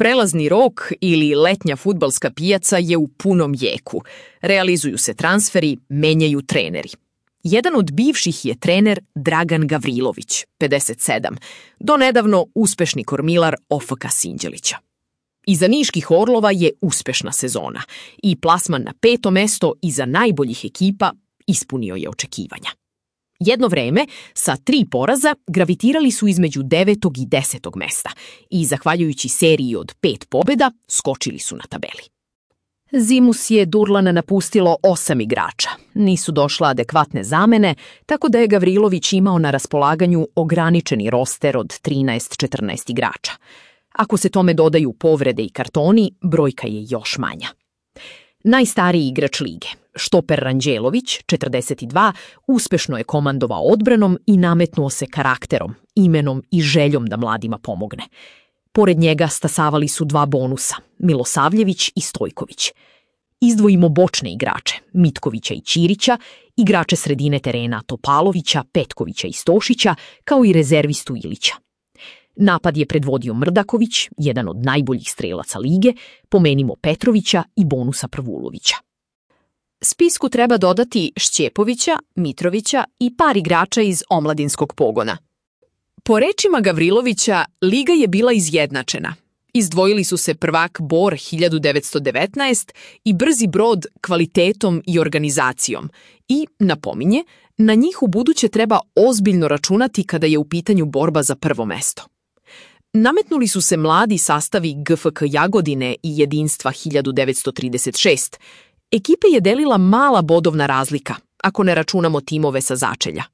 Prelazni rok ili letnja fudbalska pijaca je u punom jeku. Realizuju se transferi, menjaju treneri. Jedan od bivših je trener Dragan Gavrilović, 57, donedavno uspešni kormilar OFK Sinđelića. Iza niških Orlova je uspešna sezona i plasman na 5. mesto iza najboljih ekipa ispunio je očekivanja. Jedno vreme, sa 3 poraza, gravitirali su između 9. i 10. mesta i, zahvaljujući seriji od 5 pobjeda, skočili su na tabeli. Zimus je Durlana napustilo 8 igrača. Nisu došla adekvatne zamene, tako da je Gavrilović imao na raspolaganju ograničeni roster od 13-14 igrača. Ako se tome dodaju povrede i kartoni, brojka je još manja. Najstariji igrač lige, štoper Ranđelović, 42, uspešno je komandovao odbranom i nametnuo se karakterom, imenom i željom da mladima pomogne. Pored njega stasavali su 2 bonusa, Milosavljević i Stojković. Izdvojimo bočne igrače, Mitkovića i Ćirića, igrače sredine terena Topalovića, Petkovića i Stošića, kao i rezervistu Ilića. Napad je predvodio Mrdaković, jedan od najboljih strelaca lige, pomenimo Petrovića i bonusa Prvulovića. Spisku treba dodati Šćepovića, Mitrovića i par igrača iz omladinskog pogona. Po rečima Gavrilovića, liga je bila izjednačena. Izdvojili su se prvak Bor 1919 i Brzi Brod kvalitetom i organizacijom i, napominje, na njih u buduće treba ozbiljno računati kada je u pitanju borba za prvo mesto. Nametnuli su se mladi sastavi GFK Jagodine i Jedinstva 1936. Ekipe je delila mala bodovna razlika, ako ne računamo timove sa začelja.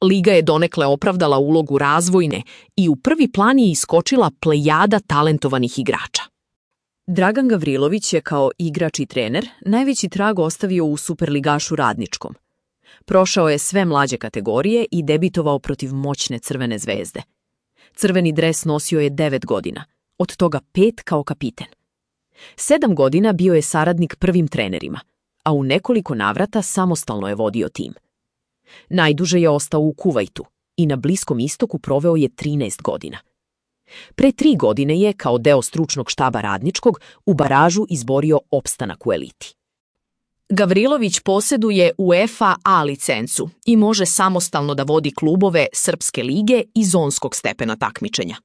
Liga je donekle opravdala ulogu razvojne i u prvi plan je iskočila plejada talentovanih igrača. Dragan Gavrilović je kao igrač i trener najveći trag ostavio u superligašu Radničkom. Prošao je sve mlađe kategorije i debitovao protiv moćne Crvene zvezde. Crveni dres nosio je 9 godina, od toga 5 kao kapiten. 7 godina bio je saradnik prvim trenerima, a u nekoliko navrata samostalno je vodio tim. Najduže je ostao u Kuvajtu i na Bliskom istoku proveo je 13 godina. Pre 3 godine je, kao deo stručnog štaba Radničkog, u baražu izborio opstanak u eliti. Gavrilović posjeduje UEFA A licencu i može samostalno da vodi klubove Srpske lige i zonskog stepena takmičenja.